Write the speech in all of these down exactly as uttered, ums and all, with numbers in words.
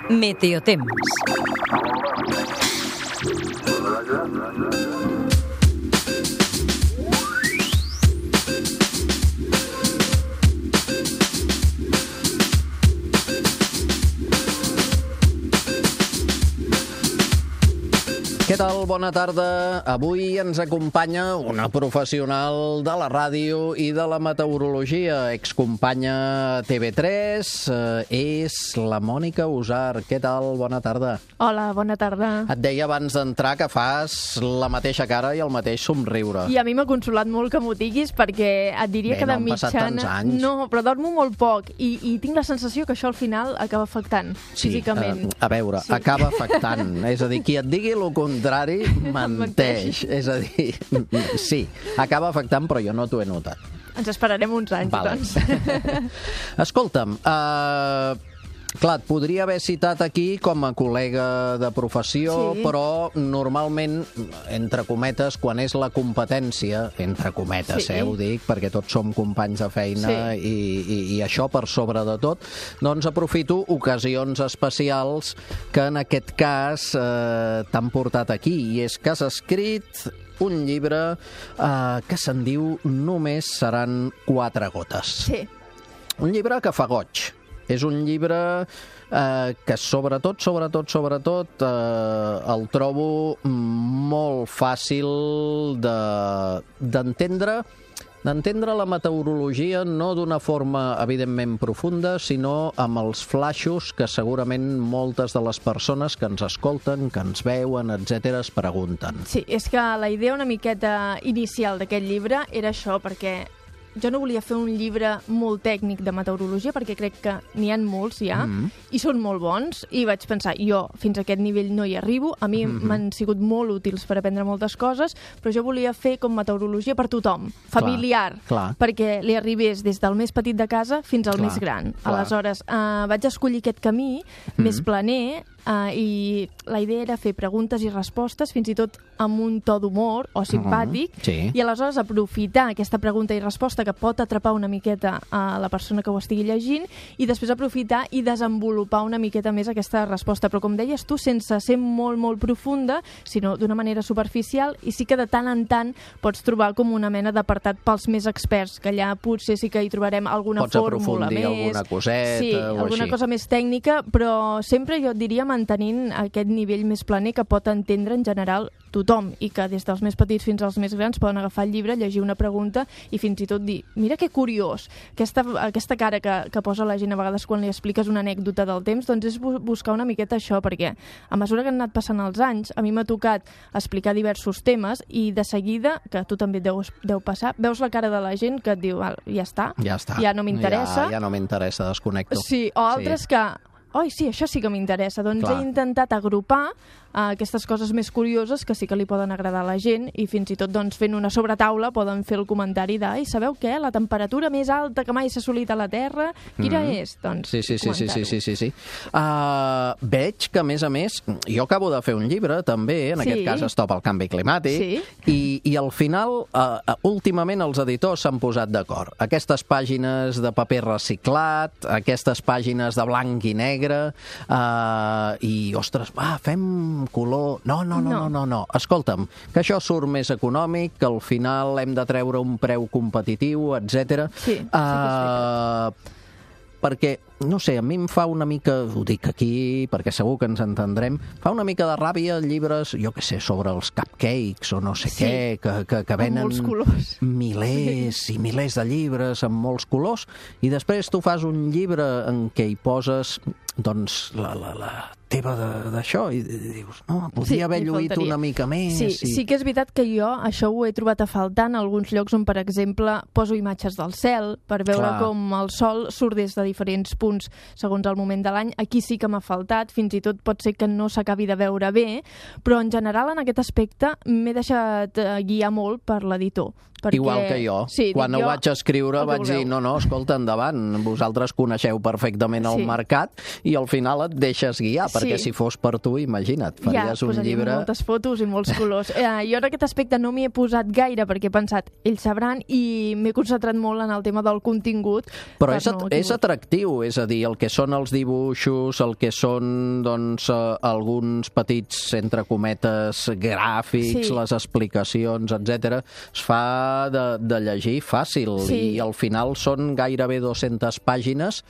Meteotemps. Què tal? Bona tarda. Avui ens acompanya una professional de la ràdio i de la meteorologia, excompanya a T V tres, eh, és la Mònica Usar. Què tal? Bona tarda. Hola, bona tarda. Et deia abans d'entrar que fas la mateixa cara i el mateix somriure. I a mi m'ha consolat molt que m'ho diguis, perquè et diria Bé, que de no han passat mitjana... tants anys. No, però dormo molt poc i, i tinc la sensació que això al final acaba afectant Sí, físicament. eh, a veure, Sí. acaba afectant. És a dir, qui et digui el contrari menteix. És a dir, sí, acaba afectant, però jo no t'ho he notat. Ens esperarem uns anys, Vale. doncs. Escolta'm, uh, clar, et podria haver citat aquí com a col·lega de professió, Sí. però normalment, entre cometes, quan és la competència, entre cometes, Sí. eh, ho dic, perquè tots som companys de feina Sí. i, i, i això per sobre de tot, doncs aprofito ocasions especials que en aquest cas eh, t'han portat aquí, i és que has escrit un llibre eh, que se'n diu Només seran quatre gotes. Sí. Un llibre que fa goig. És un llibre eh, que sobretot, sobretot, sobretot eh, el trobo molt fàcil de- d'entendre d'entendre la meteorologia no d'una forma evidentment profunda, sinó amb els flaixos que segurament moltes de les persones que ens escolten, que ens veuen, etcètera, es pregunten. Sí, és que la idea una miqueta inicial d'aquest llibre era això, perquè jo no volia fer un llibre molt tècnic de meteorologia, perquè crec que n'hi ha molts ja, Mm. i són molt bons, i vaig pensar, jo fins a aquest nivell no hi arribo, a mi Mhm. m'han sigut molt útils per aprendre moltes coses, però jo volia fer com meteorologia per tothom, familiar, clar. perquè li arribés des del més petit de casa fins al Clar, més gran. clar. Aleshores, eh, vaig escollir aquest camí més planer, Uh, i la idea era fer preguntes i respostes, fins i tot amb un to d'humor o simpàtic, Uh-huh. Sí. i aleshores aprofitar aquesta pregunta i resposta que pot atrapar una miqueta a la persona que ho estigui llegint, i després aprofitar i desenvolupar una miqueta més aquesta resposta, però com deies tu, sense ser molt, molt profunda, sinó d'una manera superficial, i sí que de tant en tant pots trobar com una mena d'apartat pels més experts, que allà potser sí que hi trobarem alguna Pots fórmula aprofundir més. alguna coseta sí, o alguna així. cosa més tècnica, però sempre jo et diria mantenint aquest nivell més planer que pot entendre en general tothom, i que des dels més petits fins als més grans poden agafar el llibre, llegir una pregunta i fins i tot dir, mira que curiós, aquesta, aquesta cara que, que posa la gent a vegades quan li expliques una anècdota del temps, doncs és bu- buscar una miqueta això, perquè a mesura que han anat passant els anys, a mi m'ha tocat explicar diversos temes, i de seguida, que tu també et deus, deu passar, veus la cara de la gent que et diu, "Val, ja està, Ja està. ja no m'interessa. Ja, ja no m'interessa, desconnecto. Sí, o altres Sí. que... Oi, sí, això sí que m'interessa. Doncs Clar. he intentat agrupar uh, aquestes coses més curioses que sí que li poden agradar a la gent, i fins i tot doncs, fent una sobretaula poden fer el comentari de "Ai, sabeu què? La temperatura més alta que mai s'ha assolit a la Terra, quina Mhm. és?" Doncs Sí, sí, sí, sí, sí, comentar-ho. sí, sí, sí. Uh, veig que, a més a més, jo acabo de fer un llibre, també, en Sí. aquest cas Stop al canvi climàtic, Sí. i, i al final, uh, últimament, els editors s'han posat d'acord. Aquestes pàgines de paper reciclat, aquestes pàgines de blanc i negre, uh, i, ostres, va, fem color... No, no, no, no, No. no, no. Escolta'm, que això surt més econòmic, que al final hem de treure un preu competitiu, etcètera. Sí, sí que és veritat. Uh, perquè, no sé, a mi em fa una mica, ho dic aquí perquè segur que ens entendrem, fa una mica de ràbia llibres, jo què sé, sobre els cupcakes o no sé Sí. què, que, que, que Amb venen molts colors. milers sí. i milers de llibres amb molts colors, i després tu fas un llibre en què hi poses doncs la, la, la teva de- d'això, i dius, no, podria Sí, haver li lluït faltaria. una mica més. Sí, i... sí que és veritat que jo això ho he trobat a faltar en alguns llocs on, per exemple, poso imatges del cel per veure Clar. com el sol surt des de diferents punts segons el moment de l'any. Aquí sí que m'ha faltat, fins i tot pot ser que no s'acabi de veure bé, però en general en aquest aspecte m'he deixat eh, guiar molt per l'editor. Perquè... Igual que jo. Sí, Quan ho jo... vaig escriure vaig dir, no, no, escolta, endavant, vosaltres coneixeu perfectament el Sí. mercat i al final et deixes guiar, perquè Sí. si fos per tu, imagina't, faries ja, un llibre... moltes fotos i molts colors. Eh, jo en aquest aspecte no m'hi he posat gaire perquè he pensat, ells sabran, i m'he concentrat molt en el tema del contingut. Però per és, at no és atractiu, és a dir, el que són els dibuixos, el que són doncs, eh, alguns petits, entre cometes, gràfics, Sí. les explicacions, etcètera, es fa de, de llegir fàcil Sí. i al final són gairebé dues-centes pàgines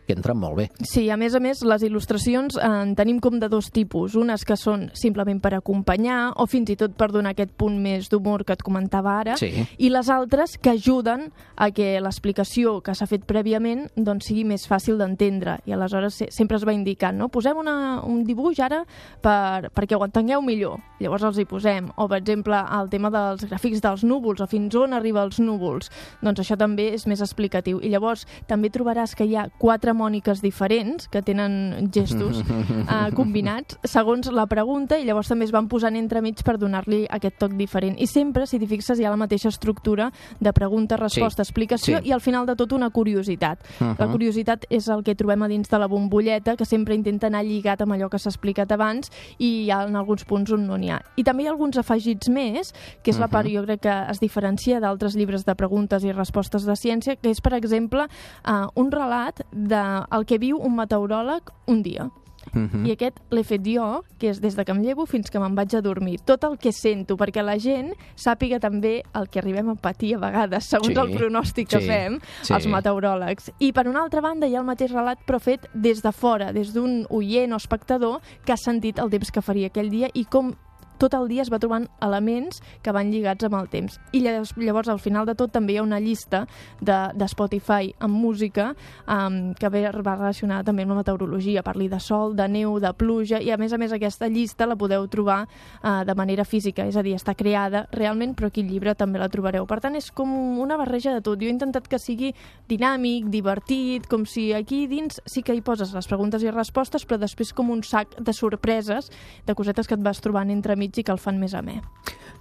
que entren molt bé. Sí, a més a més, les il·lustracions eh, en tenim com de dos tipus. Unes que són simplement per acompanyar o fins i tot per donar aquest punt més d'humor que et comentava ara, Sí. i les altres que ajuden a que l'explicació que s'ha fet prèviament doncs, sigui més fàcil d'entendre. I aleshores se sempre es va indicant, no? Posem una, un dibuix ara per, perquè ho entengueu millor. Llavors els hi posem. O, per exemple, el tema dels gràfics dels núvols o fins on arriba els núvols. Doncs això també és més explicatiu. I llavors també trobaràs que hi ha quatre Mòniques diferents que tenen gestos eh, combinats segons la pregunta i llavors també es van posant entremig per donar-li aquest toc diferent. I sempre, si t'hi fixes, hi ha la mateixa estructura de pregunta, resposta, Sí. explicació Sí. i al final de tot una curiositat. Uh -huh. La curiositat és el que trobem a dins de la bombolleta, que sempre intenta anar lligat amb allò que s'ha explicat abans i hi ha en alguns punts on no n'hi ha. I també hi ha alguns afegits més, que és la part, jo crec que es diferencia d'altres llibres de preguntes i respostes de ciència, que és, per exemple, eh, un relat de el que viu un meteoròleg un dia. Uh -huh. I aquest l'he fet jo, que és des de que em llevo fins que me'n vaig a dormir. Tot el que sento, perquè la gent sàpiga també el que arribem a patir a vegades, segons Sí, el pronòstic que sí, fem, sí. els meteoròlegs. I per una altra banda hi ha el mateix relat, però fet des de fora, des d'un oient o espectador que ha sentit el temps que faria aquell dia i com tot el dia es va trobant elements que van lligats amb el temps. I llavors, al final de tot, també hi ha una llista de, de Spotify amb música um, que ve, va relacionada també amb la meteorologia. Parli de sol, de neu, de pluja, i a més a més aquesta llista la podeu trobar uh, de manera física, és a dir, està creada realment, però aquí al llibre també la trobareu. Per tant, és com una barreja de tot. Jo he intentat que sigui dinàmic, divertit, com si aquí dins sí que hi poses les preguntes i respostes, però després com un sac de sorpreses, de cosetes que et vas trobant entre mig i que el fan més amè.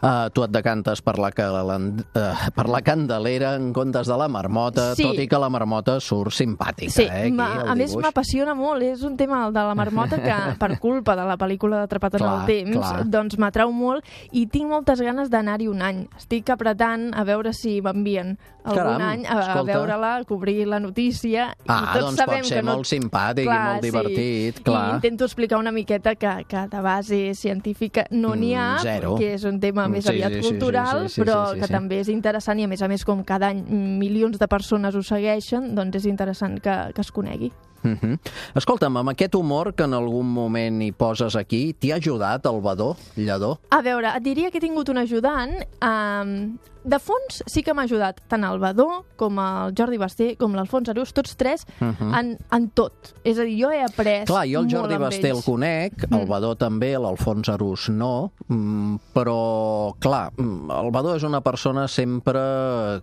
Uh, tu et decantes per la, caland... uh, per la Candelera en comptes de la Marmota, Sí. tot i que la Marmota surt simpàtica, Sí, eh, aquí, ma- el a més dibuix. m'apassiona molt, és un tema el de la marmota que per culpa de la pel·lícula d'Atrapat en Clar, el temps clar. doncs m'atrau molt i tinc moltes ganes d'anar-hi un any. Estic apretant a veure si m'envien algun Caram, any a, a escolta. veure-la, a cobrir la notícia. Ah, I tots doncs sabem pot ser que no... molt simpàtic i molt divertit, sí. clar. I intento explicar una miqueta que, que de base científica no n'hi ha, Mm, zero. que és un tema més Sí, aviat sí, sí, cultural, sí, sí, sí, però sí, sí, que sí. també és interessant i a més a més com cada any milions de persones ho segueixen, doncs és interessant que, que es conegui. Uh -huh. Escolta'm, amb aquest humor que en algun moment hi poses aquí, t'hi ha ajudat el Badó, Lledó? A veure, et diria que he tingut un ajudant. Um, de fons sí que m'ha ajudat tant el Badó com el Jordi Basté com l'Alfons Arús, tots tres Uh -huh. en, en tot. És a dir, jo he après Clar, jo el molt Jordi amb Basté el ells. conec, el Badó també, l'Alfons Arús no, mm, però, clar, mm, el Badó és una persona sempre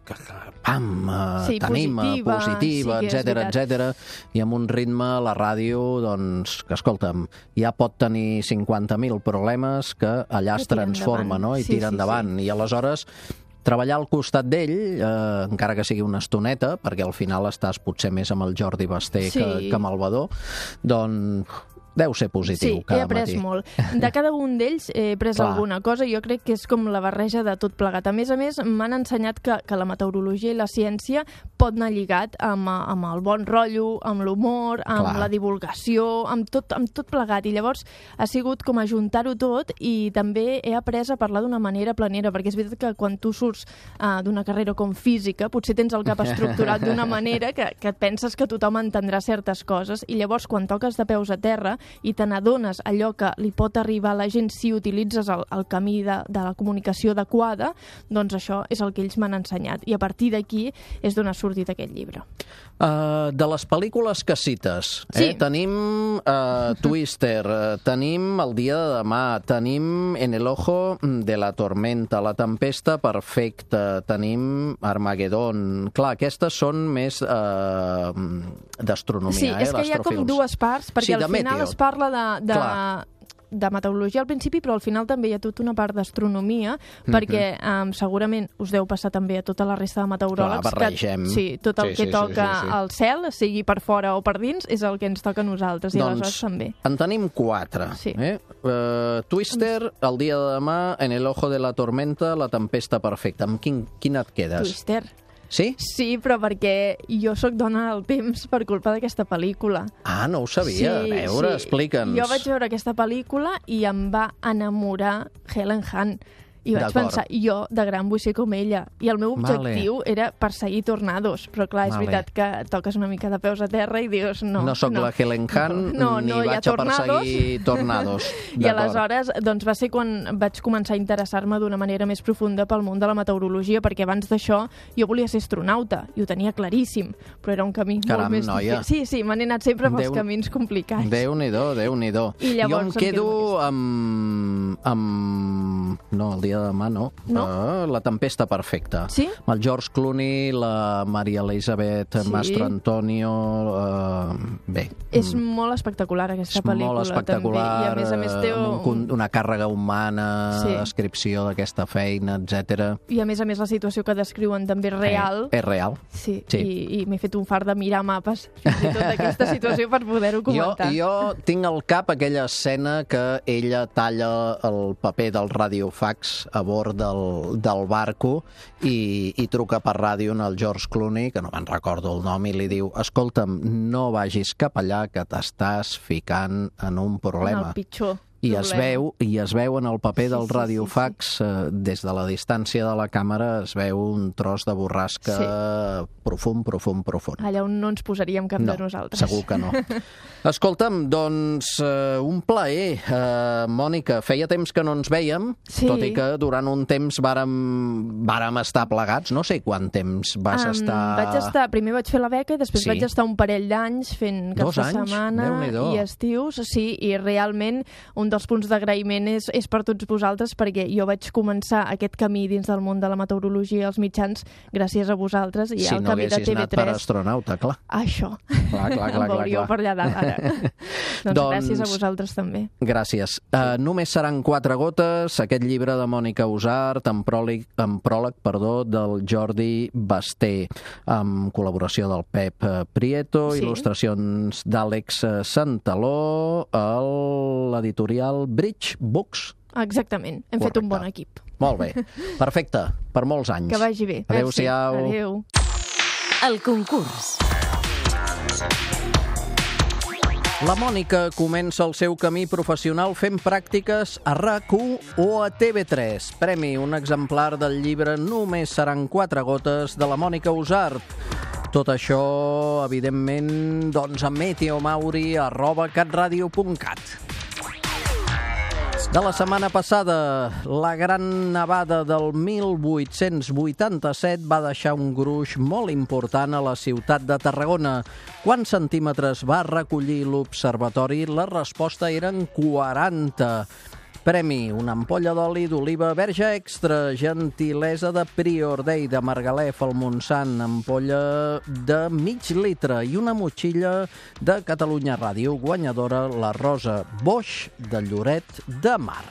que, que pam, eh, Sí, t'anima, positiva, positiva, sí que és etcètera, veritat. etcètera, i amb un ritme a la ràdio, doncs, que escolta'm, ja pot tenir cinquanta mil problemes que allà es Que tira transforma, endavant. no?, i Sí, tira sí, endavant, i aleshores treballar al costat d'ell, eh, encara que sigui una estoneta, perquè al final estàs potser més amb el Jordi Basté Sí. que, que amb el Badó, doncs deu ser positiu Sí, he cada après matí. molt. De cada un d'ells he après Clar. alguna cosa i jo crec que és com la barreja de tot plegat. A més a més, m'han ensenyat que, que la meteorologia i la ciència pot anar lligat amb, amb el bon rotllo, amb l'humor, amb Clar. la divulgació, amb tot, amb tot plegat. I llavors ha sigut com ajuntar-ho tot i també he après a parlar d'una manera planera, perquè és veritat que quan tu surts uh, d'una carrera com física, potser tens el cap estructurat d'una manera que, que et penses que tothom entendrà certes coses i llavors quan toques de peus a terra i te n'adones allò que li pot arribar a la gent si utilitzes el, el camí de, de la comunicació adequada, doncs això és el que ells m'han ensenyat. I a partir d'aquí és d'on ha sortit aquest llibre. Uh, de les pel·lícules que cites, eh? Sí. Tenim uh, Twister, uh, tenim El dia de demà, tenim En el ojo de la tormenta, La tempesta perfecta, tenim Armagedon. Clar, aquestes són més uh, d'astronomia, Sí, eh? és que hi ha com l'astrofilms. dues parts, perquè Sí, de al final meteo. es parla de, de, Clar. de meteorologia al principi, però al final també hi ha tota una part d'astronomia, mm-hmm. perquè um, segurament us deu passar també a tota la resta de meteoròlegs. Clar, barregem. Que, sí, tot el sí, que sí, toca sí, sí, sí. al cel, sigui per fora o per dins, és el que ens toca a nosaltres, i doncs, aleshores també. En tenim quatre. Sí. Eh? Uh, Twister, el dia de demà, En el ojo de la tormenta, La tempesta perfecta. Amb quin, quin et quedes? Twister. Sí? Sí, però perquè jo sóc dona del temps per culpa d'aquesta pel·lícula. Ah, no ho sabia. Sí, a veure, sí. explica'ns. Jo vaig veure aquesta pel·lícula i em va enamorar Helen Hunt. I vaig pensar, jo de gran vull ser com ella. I el meu objectiu vale. era perseguir tornados. Però clar, és vale. veritat que toques una mica de peus a terra i dius no. No sóc no. la Helen Hunt, no, no, ni no vaig a perseguir tornados. I aleshores doncs, va ser quan vaig començar a interessar-me d'una manera més profunda pel món de la meteorologia, perquè abans d'això jo volia ser astronauta, i ho tenia claríssim, però era un camí Caram, molt més noia. difícil. Sí, sí, m'han anat sempre pels Déu... camins complicats. Déu-n'hi-do, Déu-n'hi-do. I llavors jo em quedo amb... amb... No, el dia de demà no. No? Uh, la tempesta perfecta. Sí? Amb el George Clooney, la Maria Elisabeth, sí. Mastro Antonio... Uh, bé. És molt espectacular, aquesta és pel·lícula. molt espectacular, també. I a més a més té un... un, una càrrega humana, sí. descripció d'aquesta feina, etcètera. I a més a més la situació que descriuen també és real. Eh, és real. Sí, sí. i, i m'he fet un fart de mirar mapes fins i tot d'aquesta situació per poder-ho comentar. Jo, jo tinc al cap aquella escena que ella talla el paper del radiofax a bord del, del barco i, i truca per ràdio al George Clooney, que no me'n recordo el nom, i li diu, escolta'm, no vagis cap allà que t'estàs ficant en un problema. En el pitjor. I es, veu, I es veu en el paper sí, del radiofax, sí, sí, sí. Eh, des de la distància de la càmera, es veu un tros de borrasca sí. profund, profund, profund. Allà on no ens posaríem cap no, de nosaltres. Segur que no. Escolta'm, doncs, eh, un plaer. Eh, Mònica, feia temps que no ens vèiem, sí. tot i que durant un temps vàrem, vàrem estar plegats. No sé quant temps vas um, estar... Vaig estar... Primer vaig fer la beca i després sí. vaig estar un parell d'anys fent cap Dos de anys? setmana i estius. Sí, i realment un dels punts d'agraïment és, és per tots vosaltres, perquè jo vaig començar aquest camí dins del món de la meteorologia als mitjans gràcies a vosaltres i si al no camí de T V tres. Si no haguessis anat per astronauta, clar. Això. Clar, clar, clar. Em veuríeu per allà dalt, ara. doncs, doncs gràcies a vosaltres també. Gràcies. Uh, només seran quatre gotes, aquest llibre de Mònica Usart, en pròleg, en pròleg perdó, del Jordi Basté, amb col·laboració del Pep Prieto, sí. il·lustracions d'Àlex Santaló, l'editorial Bridge Books. Exactament, hem Correcte. fet un bon equip. Molt bé, perfecte, per molts anys. Que vagi bé. Adéu-siau. Adéu. El concurs. La Mònica comença el seu camí professional fent pràctiques a RAC u o a T V tres. Premi, un exemplar del llibre Només seran quatre gotes, de la Mònica Usart. Tot això, evidentment, doncs a meteomauri arroba catradio punt cat. De la setmana passada, la gran nevada del mil vuit-cents vuitanta-set va deixar un gruix molt important a la ciutat de Tarragona. Quants centímetres va recollir l'observatori? La resposta eren quaranta. Premi, una ampolla d'oli d'oliva verge extra, gentilesa de Prior Day de Margalef al Montsant, ampolla de mig litre, i una motxilla de Catalunya Ràdio, guanyadora la Rosa Boix de Lloret de Mar.